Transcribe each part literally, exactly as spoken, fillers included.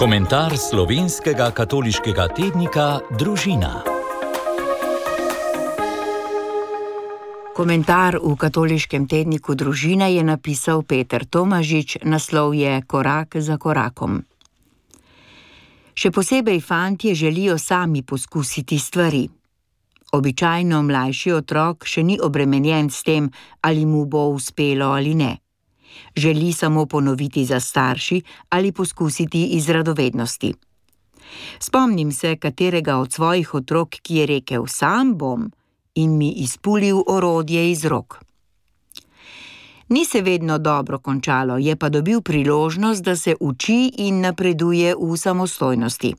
Komentar slovenskega katoliškega tednika Družina. Komentar v katoliškem tedniku Družina je napisal Peter Tomažič, naslov je Korak za korakom. Še posebej fantje želijo sami poskusiti stvari. Običajno mlajši otrok še ni obremenjen s tem, ali mu bo uspelo ali ne. Želi samo ponoviti za starši ali poskusiti iz radovednosti. Spomnim se katerega od svojih otrok, ki je rekel sam bom in mi izpulil orodje iz rok. Ni se vedno dobro končalo, je pa dobil priložnost, da se uči in napreduje v samostojnosti.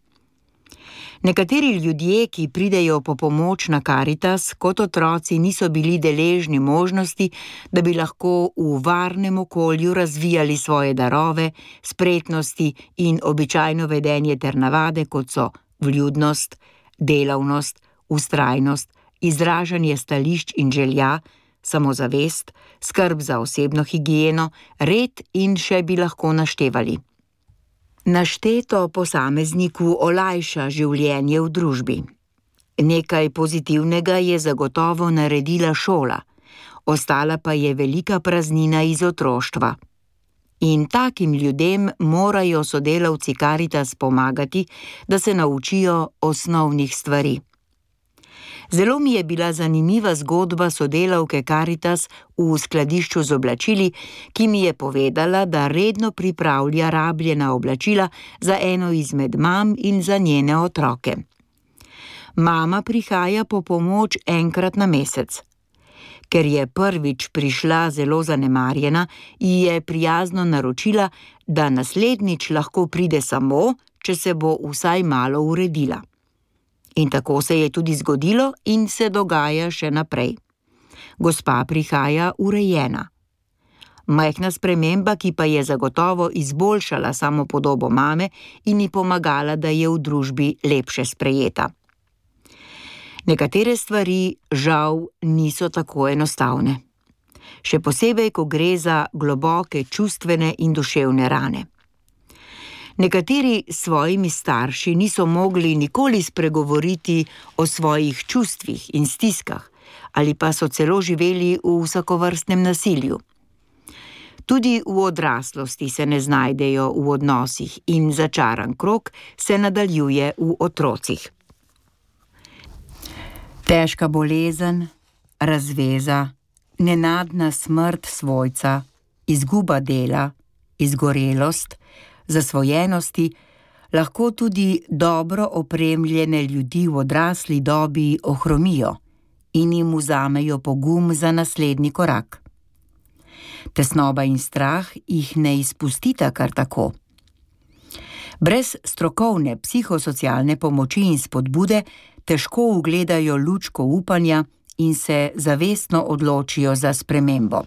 Nekateri ljudje, ki pridejo po pomoč na Karitas, kot otroci niso bili deležni možnosti, da bi lahko v varnem okolju razvijali svoje darove, spretnosti in običajno vedenje ter navade, kot so vljudnost, delavnost, vztrajnost, izražanje stališč in želja, samozavest, skrb za osebno higieno, red in še bi lahko naštevali. Našteto posamezniku olajša življenje v družbi. Nekaj pozitivnega je zagotovo naredila šola, ostala pa je velika praznina iz otroštva. In takim ljudem morajo sodelavci Karitas pomagati, da se naučijo osnovnih stvari. Zelo mi je bila zanimiva zgodba sodelavke Karitas v skladišču z oblačili, ki mi je povedala, da redno pripravlja rabljena oblačila za eno izmed mam in za njene otroke. Mama prihaja po pomoč enkrat na mesec. Ker je prvič prišla zelo zanemarjena, ji je prijazno naročila, da naslednjič lahko pride samo, če se bo vsaj malo uredila. In tako se je tudi zgodilo in se dogaja še naprej. Gospa prihaja urejena. Majhna sprememba, ki pa je zagotovo izboljšala samopodobo mame in ji pomagala, da je v družbi lepše sprejeta. Nekatere stvari, žal, niso tako enostavne. Še posebej, ko gre za globoke čustvene in duševne rane. Nekateri s svojimi starši niso mogli nikoli spregovoriti o svojih čustvih in stiskah, ali pa so celo živeli v vsakovrstnem nasilju. Tudi v odraslosti se ne znajdejo v odnosih in začaran krog se nadaljuje v otrocih. Težka bolezen, razveza, nenadna smrt svojca, izguba dela, izgorelost, zasvojenosti, lahko tudi dobro opremljene ljudi v odrasli dobi ohromijo in jim vzamejo pogum za naslednji korak. Tesnoba in strah jih ne izpustita kar tako. Brez strokovne psihosocialne pomoči in spodbude težko ugledajo lučko upanja in se zavestno odločijo za spremembo.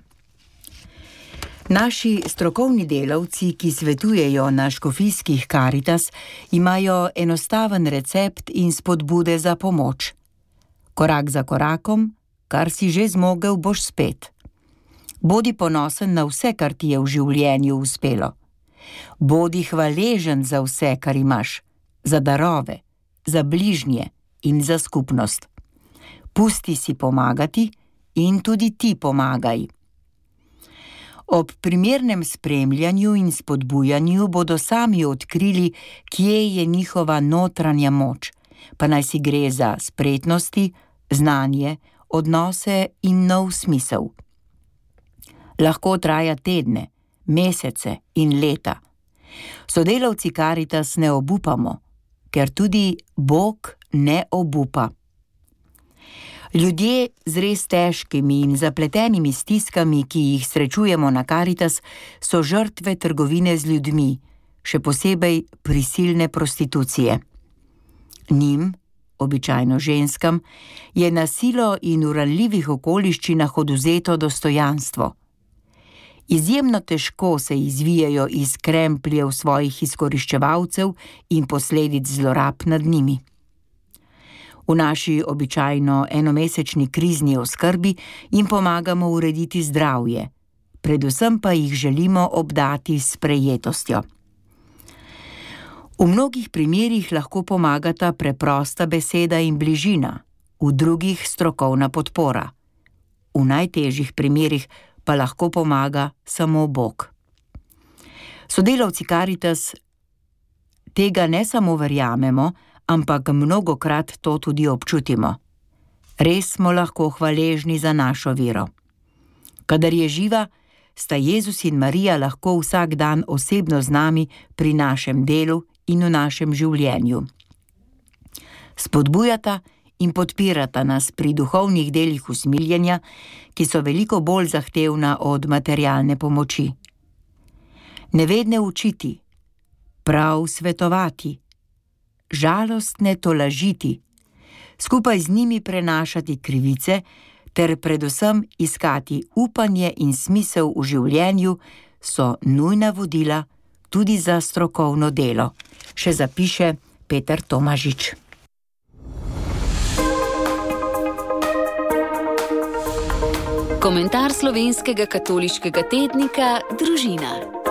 Naši strokovni delavci, ki svetujejo na škofijskih Karitas, imajo enostaven recept in spodbude za pomoč. Korak za korakom, kar si že zmogel, boš spet. Bodi ponosen na vse, kar ti je v življenju uspelo. Bodi hvaležen za vse, kar imaš, za darove, za bližnje in za skupnost. Pusti si pomagati in tudi ti pomagaj. Ob primernem spremljanju in spodbujanju bodo sami odkrili, kje je njihova notranja moč, pa naj si gre za spretnosti, znanje, odnose in nov smisel. Lahko traja tedne, mesece in leta. Sodelavci Karitas ne obupamo, ker tudi Bog ne obupa. Ljudje z res težkimi in zapletenimi stiskami, ki jih srečujemo na Karitas, so žrtve trgovine z ljudmi, še posebej prisilne prostitucije. Njim, običajno ženskam, je na silo in v ranljivih okoliščinah odvzeto dostojanstvo. Izjemno težko se izvijajo iz krempljev svojih izkoriščevalcev in posledic zlorab nad njimi. V naši običajno enomesečni krizni oskrbi jim pomagamo urediti zdravje, predvsem pa jih želimo obdati s sprejetostjo. V mnogih primerjih lahko pomagata preprosta beseda in bližina, v drugih strokovna podpora. V najtežjih primerjih pa lahko pomaga samo Bog. Sodelavci Karitas tega ne samo verjamemo, ampak mnogokrat to tudi občutimo. Res smo lahko hvaležni za našo vero. Kadar je živa, sta Jezus in Marija lahko vsak dan osebno z nami pri našem delu in v našem življenju. Spodbujata in podpirata nas pri duhovnih delih usmiljenja, ki so veliko bolj zahtevna od materialne pomoči. Nevedne učiti, prav svetovati, žalostne tolažiti, skupaj z njimi prenašati krivice ter predvsem iskati upanje in smisel v življenju so nujna vodila tudi za strokovno delo, še zapiše Peter Tomažič. Komentar slovenskega katoliškega tednika Družina.